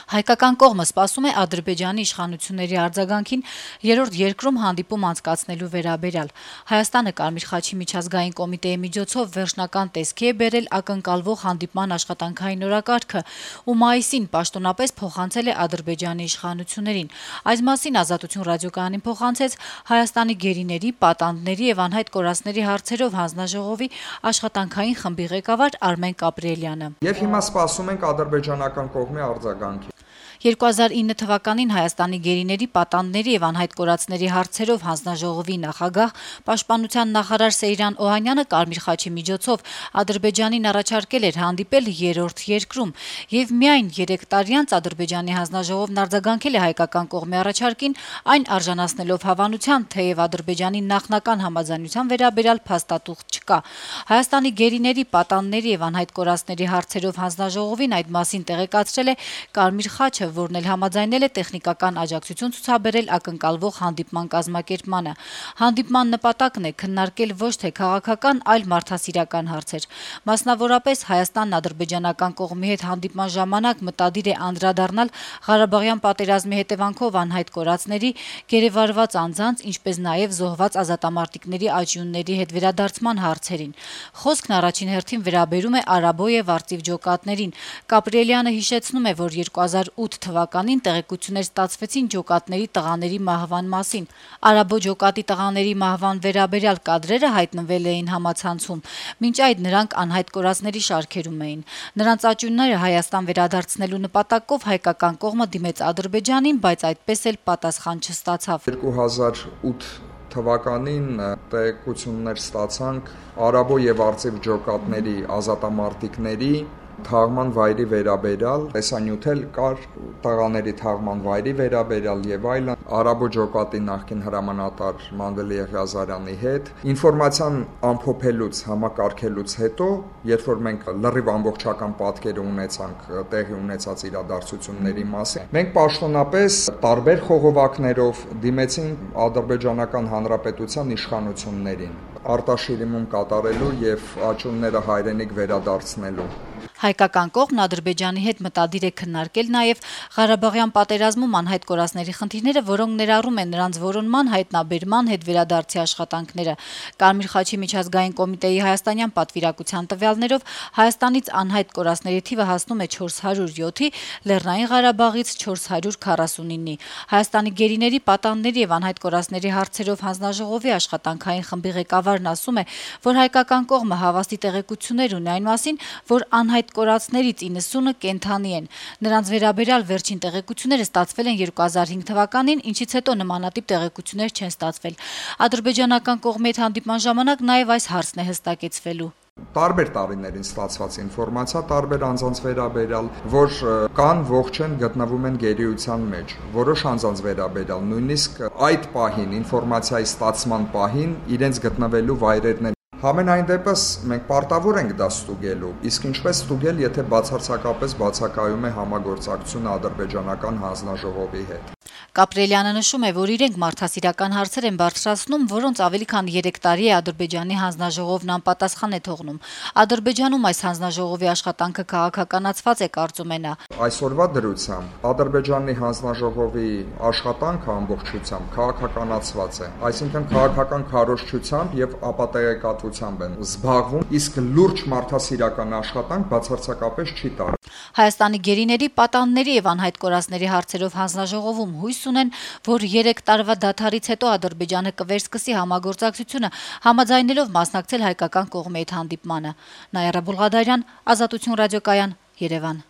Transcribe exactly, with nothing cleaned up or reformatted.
Հայկական կողմը սպասում է Ադրբեջանի իշխանությունների արձագանքին երրորդ երկրում հանդիպում անցկացնելու վերաբերյալ։ Հայաստանը Կարմիր խաչի միջազգային կոմիտեի միջոցով վերջնական տեսքի է բերել ակնկալվող հանդիպման աշխատանքային օրակարգը ու մայիսին պաշտոնապես փոխանցել է Ադրբեջանի իշխանություններին։ Այս մասին Ազատություն ռադիոկայանին փոխանցեց Հայաստանի գերիների, պատանդների եւ անհայտ կորածների հարցերով հանձնաժողովի աշխատանքային խմբի ղեկավար Արմեն Կապրելյանը։ Եվ հիմա սպասում ենք ադրբեջանական կողմի արձագանքի։ երկու հազար ինը թվականին Հայաստանի գերիների, պատանդների եւ անհայտ կորածների հարցերով հանձնաժողովի նախագահ պաշտպանության նախարար Սեյրան Օհանյանը Կարմիր խաչի միջոցով Ադրբեջանին առաջարկել էր հանդիպել երրորդ երկրում եւ միայն երեք տարի անց Ադրբեջանի հանձնաժողովն արձագանքել է հայկական կողմի առաջարկին, այն արժանացնելով հավանության, թեև Ադրբեջանի նախնական համաձայնության վերաբերյալ փաստաթուղթ չկա։ Հայաստանի գերիների, պատանդների եւ անհայտ կորածների հարցերով հանձնաժողովին այդ մասին տեղեկացրել է Կարմիր խաչը, որն էլ համաձայնել է տեխնիկական աջակցություն ցուցաբերել ակնկալվող հանդիպման կազմակերպմանը։ Հանդիպման նպատակն է քննարկել ոչ թե քաղաքական, այլ մարդասիրական հարցեր։ Մասնավորապես Հայաստանն ադրբեջանական կողմի հետ հանդիպման ժամանակ մտադիր է անդրադառնալ Ղարաբաղյան պատերազմի հետևանքով անհայտ կորածների, գերեվարված անձանց, ինչպես նաև զոհված ազատամարտիկների աճյունների հետ վերադարձման հարցերին։ Խոսքն առաջին հերթին վերաբերում է Արաբո եւ Արծիվ ջոկատներին։ Կապրելյանը հիշեցնում է, որ երկու հազար ութ թվականին տեղեկություններ ստացվեցին ջոկատների տղաների մահվան մասին։ Արաբո ջոկատի տղաների մահվան վերաբերյալ կադրերը հայտնվել էին համացանցում։ Մինչ այդ նրանք անհայտ կորածների շարքերում էին։ Նրանց աճյունները Հայաստան վերադարձնելու նպատակով հայկական կողմը դիմեց Ադրբեջանին, բայց այդպես էլ պատասխան չստացավ։ երկու հազար ութ թվականին տեղեկություններ ստացանք Արաբո եւ Արծիվ ջոկատների ազատամարտիկների թաղման վայրի վերաբերյալ, տեսանյութ էլ կար տղաների թաղման վայրի վերաբերյալ եւ այլն, Արաբո ջոկատի նախկին հրամանատար Մանվել Եղիազարյանի հետ ինֆորմացիան ամփոփելուց, համակարգելուց հետո, երբ որ մենք լրիվ ամբողջական պատկերը ունեցանք տեղի ունեցած իրադարձությունների մասին, մենք պաշտոնապես տարբեր խողովակներով դիմեցինք Ադրբեջանական Հանրապետության իշխանություններին արտաշիրիմում կատարելու եւ աճյունները հայրենիք վերադարձնելու։ Հայկական կողմն Ադրբեջանի հետ մտադիր է քննարկել նաև Ղարաբաղյան պատերազմում անհայտ կորածների խնդիրները, որոնք ներառում են նրանց որոնման, հայտնաբերման, հետ վերադարձի աշխատանքները։ Կարմիր խաչի միջազգային կոմիտեի հայաստանյան պատվիրակության տվյալներով Հայաստանից անհայտ կորածների թիվը հասնում է չորս հարյուր յոթի, Լեռնային Ղարաբաղից չորս հարյուր քառասունինի։ Հայաստանի գերիների, պատանդների եւ անհայտ կորածների հարցերով հանձնաժողովի աշխատանքային խմբի ղեկավարն ասում է, որ հայկական կողմը հավաստի տեղեկություններ ունի այն մասին, որ անհայտ կորածներից իննսունը կենդանի են։ Նրանց վերաբերյալ վերջին տեղեկությունները ստացվել են երկու հազար հինգ թվականին, ինչից հետո նմանատիպ տեղեկություններ չեն ստացվել։ Ադրբեջանական կողմի հետ հանդիպման ժամանակ նաև այս հարցն է հստակեցվելու։ Տարբեր տարիներին ստացված ինֆորմացիա, տարբեր անձանց վերաբերյալ, որ կան, ողջ են, գտնվում են գերիության մեջ, որոշ անձանց վերաբերյալ, նույնիսկ այդ պահին, ինֆորմացիայի ստացման պահին իրենց գտնվելու վայրերն են։ Համենայն դեպս մենք պարտավոր ենք դա ստուգելու, իսկ ինչպես ստուգել, եթե բացարձակապես բացակայում է համագործակցությունը ադրբեջանական հանձնաժողովի հետ։ Կապրելյանը նշում է, որ իրենք մարդասիրական հարցեր են բարձրացնում, որոնց ավելի քան երեք տարի է Ադրբեջանի հանձնաժողովն անպատասխան է թողնում։ Ադրբեջանում այս հանձնաժողովի աշխատանքը քաղաքականացված է, կարծում է նա։ Այսօրվա դրությամբ Ադրբեջանի հանձնաժողովի աշխատանքը ամբողջությամբ քաղաքականացված է, այսինքն քաղաքական քարոզչությամբ եւ ապատեգատվությամբ են զբաղվում, իսկ լուրջ մարդասիրական աշխատանք բացարձակապես չի տարվում։ Հայաստանի գերիների, պատանդների եւ անհայտ կորածների հարցերով հանձնաժողովում հույս ունեն, որ երեք տարվա դադարից հետո Ադրբեջանը կվերսկսի համագործակցությունը, համաձայնելով մասնակցել հայկական կողմի հետ հանդիպմանը։ Նաիրա Բուլղադարյան, Ազատություն ռադիոկայան, Երևան։